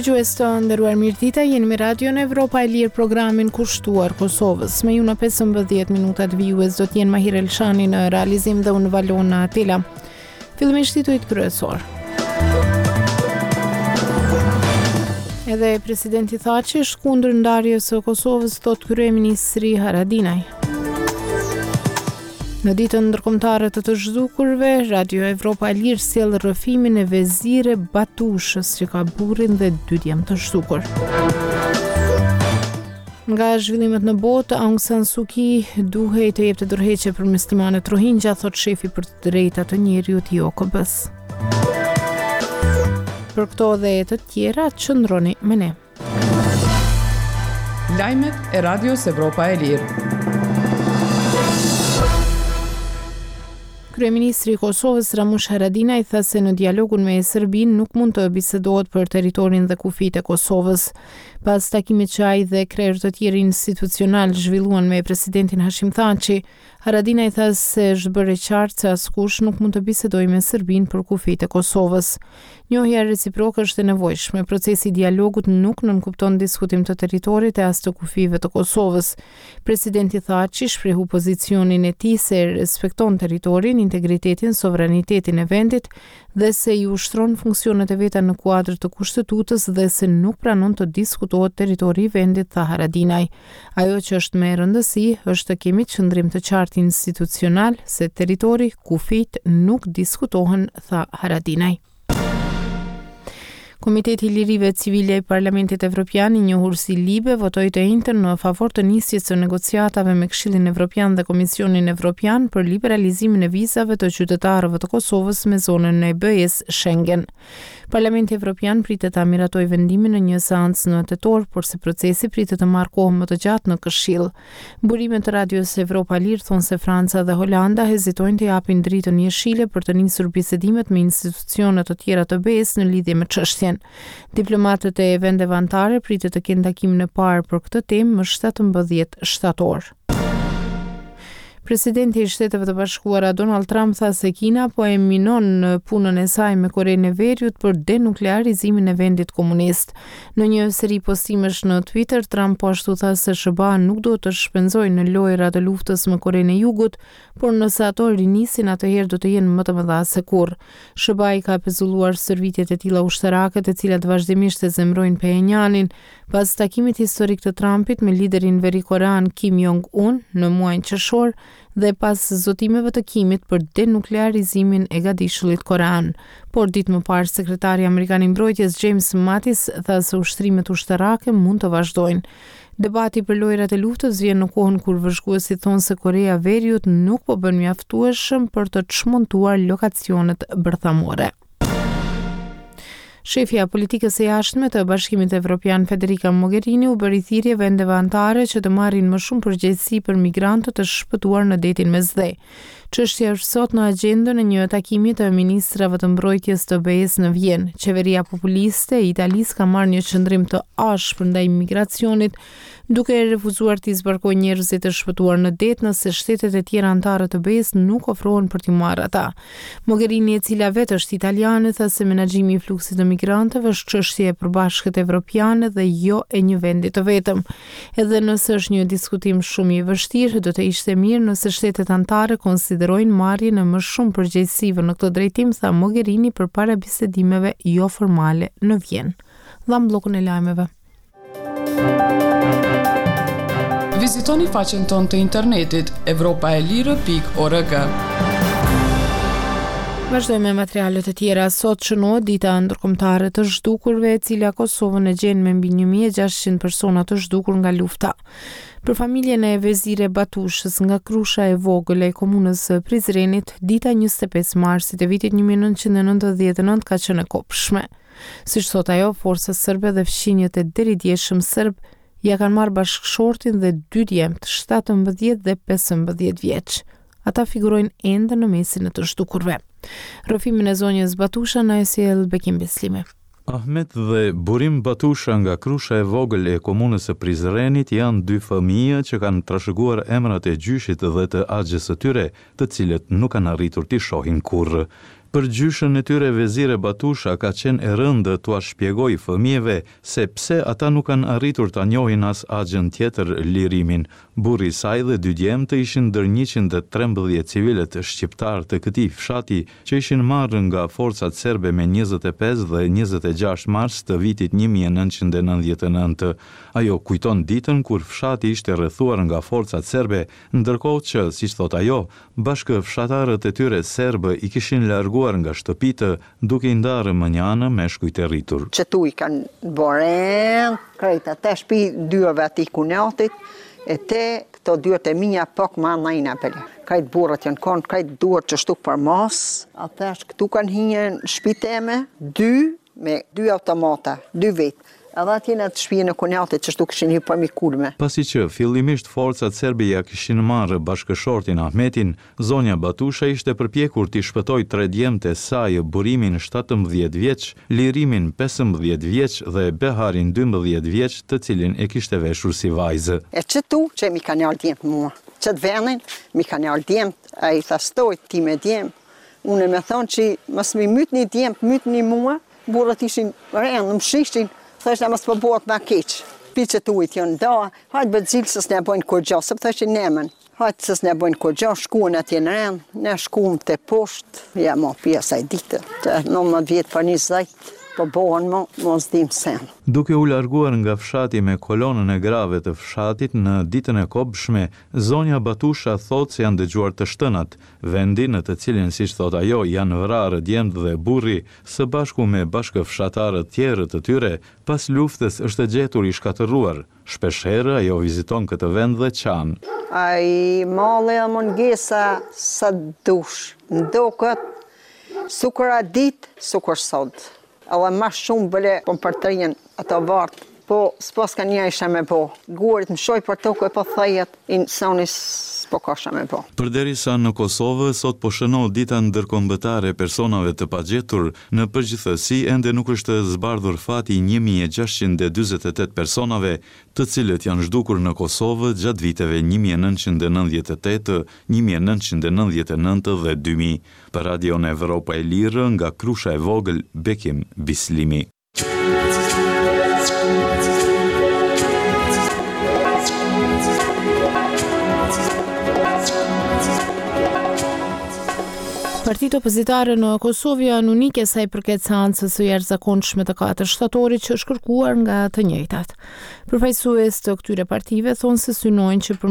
Dëgjues të nderuar mirëdita, jeni me Radion Evropa e Lirë programin kushtuar Kosovës. Me ju në 15 minutat vijues do të jenë Mahir Elshani në realizim dhe unë Valona Atela. Fillimisht titujt kryesorë. Edhe presidenti Thaçi është kundër ndarjes së Kosovës, thotë kryeministri Haradinaj. Në ditën ndërkombëtare të të zhdukurve, Radio Evropa e Lirë sjell rrëfimin e Vezire Batushës që ka burrin dhe dy djem të zhdukur. Nga zhvillimet në botë, Aung San Suu Kyi duhej të jepte dorëheqje për muslimanët Rohingya, thotë shefi për të drejtat e njeriut i OKB-së. Për këto dhe të tjera, qëndroni me ne. Lajmet e Radios Evropa e Lirë. Kryeministri i Kosovës Ramush Haradinaj tha se në dialogun me Serbinë nuk mund të bisedohet për territorin dhe kufijtë e Kosovës. Pas takimit që ai dhe krerë të tjerë institucionalë zhvilluan me presidentin Hashim Thaçi, Haradinaj tha se është bërë e qartë se askush nuk mund të bisedojë me Serbinë për kufijtë e Kosovës. Njohja reciproke është e nevojshme. Procesi i dialogut nuk nënkupton diskutim të territorit e as të kufijve të Kosovës. Presidenti Thaçi shprehu pozicionin e tij se respekton territorin, integritetin, sovranitetin e vendit dhe se i ushtron funksionet e veta në kuadër të Kushtetutës dhe se nuk pranon të diskutohet territori i vendit, tha Haradinaj. Ajo që është me rëndësi është të kemi qëndrim të qartë institucional se territori, kufijtë nuk diskutohen, tha Haradinaj. Komiteti i Lirive Civile i Parlamentit Evropian, i njohur si LIBE, votoi të enjten në favor të nisjes së negociatave me Këshillin Evropian dhe Komisionin Evropian për liberalizimin e vizave të qytetarëve të Kosovës me zonën e BE-së Schengen. Parlamenti Evropian pritet ta miratojë vendimin në një seancë në tetor, porse procesi pritet të marrë kohë më të gjatë në Këshill. Burime të Radios Evropa e Lirë thonë se Franca dhe Holanda hezitojnë të japin dritën jeshile për të nisur bisedimet me institucione të tjera të BE-së në lidhje me çështjen. Diplomatët e vendeve anëtare pritet të kenë takimin e parë për këtë temë më 17 shtator. Presidenti i Shteteve të Bashkuara Donald Trump tha se Kina po e minon punën e saj me Korenë e Veriut për denuklearizimin e vendit komunist. Në një seri postimesh në Twitter, Trump po ashtu tha se SHBA nuk duhet të shpenzojë në lojëra të luftës me Korenë e Jugut, por nëse ato rinisin atëherë do të jenë më të mëdha se kurrë. SHBA i ka pezulluar stërvitjet e tilla ushtarake, të cilat vazhdimisht e zemërojnë Phenjanin, Pas takimit historik të Trumpit me liderin verikorean Kim Jong-un në muajin qershor dhe pas zotimeve të Kimit për denuklearizimin e gadishullit korean. Por ditë më parë sekretari amerikan i mbrojtjes James Mattis tha se ushtrimet ushtarake mund të vazhdojnë. Debati për lojërat e luftës vjen në kohën kur vëzhguesit thonë se Koreja e Veriut nuk po bën mjaftueshëm për të çmontuar lokacionet bërthamore. Shefja e politikës së jashtme të Bashkimit Evropian Federica Mogherini u bëri thirrje vendeve anëtare që të marrin më shumë përgjegjësi për migrantët e shpëtuar në detin Mesdhe. Çështja është sot në agjendën e një takimi të ministrave të mbrojtjes të BE-së në Vjenë. Qeveria populiste e Italisë ka marrë një qëndrim të ashpër ndaj migracionit, duke refuzuar t'i zbarkojë njerëzit e shpëtuar në det nëse shtetet e tjera anëtare të BE-së nuk ofrohen për t'i marrë ata. Mogherini, e cila vetë është italiane, tha se menaxhimi i fluksit të migrantëve është çështje e përbashkët evropiane dhe jo e një vendi të vetëm. Edhe nëse është një diskutim shumë i vështirë, do të ishte mirë nëse shtetet anëtare konsiderojnë marrjen e më shumë përgjegjësive në këtë drejtim, tha Mogherini përpara bisedimeve joformale në Vjenë. Dhamë bllokun e lajmeve. Vizitoni faqen tonë të internetit evropaelire.org. Vazhdojmë me materialet e tjera. Sot shënohet dita ndërkombëtare e të zhdukurve, e cila Kosovën e gjen me mbi 1600 persona të zhdukur nga lufta. Për familjen e Vezire Batushës nga Krusha e Vogël e komunës së Prizrenit, dita 25 marsit e vitit 1999 ka qenë e kobshme. Siç thotë ajo, forcat serbe dhe fqinjët e deridjeshëm serbë ia kanë marrë bashkëshortin dhe dy djemtë, 17 dhe 15 vjeç. Ata figurojnë ende në mesin e të zhdukurve. Rrëfimin e zonjës Batusha na e sjell Bekim Bislimi. Ahmet dhe Burim Batusha nga Krusha e Vogël e komunës së Prizrenit janë dy fëmijë që kanë trashëguar emrat e gjyshit dhe të axhës së tyre, të cilët nuk kanë arritur t'i shohin kurrë. Për gjyshen e tyre Vezire Batusha ka qenë e rëndë t'ua shpjegojë fëmijëve se pse ata nuk kanë arritur ta njohin as axhën tjetër Lirimin. Burri i saj dhe dy djemtë ishin ndër 113 civilët shqiptarë të këtij fshati që ishin marrë nga forcat serbe me 25 dhe 26 mars të vitit 1999. Ajo kujton ditën kur fshati ishte rrethuar nga forcat serbe, ndërkohë që, siç thotë ajo, Bashkëfshatarët e tyre serbë i kishin larguar nga shtëpitë, duke i ndarë mënjanë meshkujt e rritur. Qëtu i kanë bo rend krejt ate shpi dyerve atij kunatit e te këto dyert e mija pak ma nejna bile krejt burrat janë kon krejt duart qështu përmas a thash këtu kanë hi në shpi teme dy Me dy automata, dy vetë. Edhe atje në atë shpijën e kunatit qështu kishin hy përmi kulme. Pasi që fillimisht forcat serbe ia kishin marrë bashkëshortin Ahmetin, zonja Batusha ishte përpjekur t'i shpëtojë tre djemtë e saj, Burimin 17 vjeç, Lirimin 15 vjeç dhe Beharin 12 vjeç, të cilin e kishte veshur si vajzë. E qëtu që m'i kanë ardhë djemtë mua, qëtë venin m'i kanë ardhë djemtë, ai tha stoj ti me djem, Unë me thonë që mos m'i mytni djemtë, mytni mua, burrat ishin rënë, më shishin, thëshna mos po bëhet ma keq. Pi qëtu janë da, hajt bëtë zilë se s'na bojnë kurgjo, se po thëshin nemën. Hajt se s'na bojnë kurgjo, shkuen atje në rend, ne shkuam te poshtë, ja mo pi asaj dite, të 19 vjet për 20, po bohen mo, mo s'dim sen. Duke u larguar nga fshati me kolonën e grave të fshatit në ditën e kobshme, zonja Batusha thotë se janë dëgjuar të shtënat, Vendi në të cilin, siç thotë ajo, janë vrarë djemtë dhe burri, së bashku me bashkëfshatarët tjerë të tyre, pas luftës është gjetur i shkatërruar. Shpeshherë ajo viziton këtë vend dhe qan. Ai malli dhe mungesa sa dush, m'doket sukur at ditë, sukur sot. Edhe ma shumë bile po më përtrihen ato varret, po s'paska njeri çka me bo. Gurët mshoj për tokë e po thejet, insani s'po ka çka me bo. Përderisa në Kosovë sot po shënohet Dita Ndërkombëtare e Personave të Pagjetur, në përgjithësi ende nuk është zbardhur fati i 1648 personave, të cilët janë zhdukur në Kosovë gjatë viteve 1998, 1999 dhe 2000. Për Radion Evropa e Lirë nga Krusha e Vogël, Bekim Bislimi. Partitë opozitare në Kosovë janë unike sa i përket seancës së jashtëzakonshme të 4 shtatorit që është kërkuar nga të njëjtat. Përfaqësues të këtyre partive thonë se synojnë që për.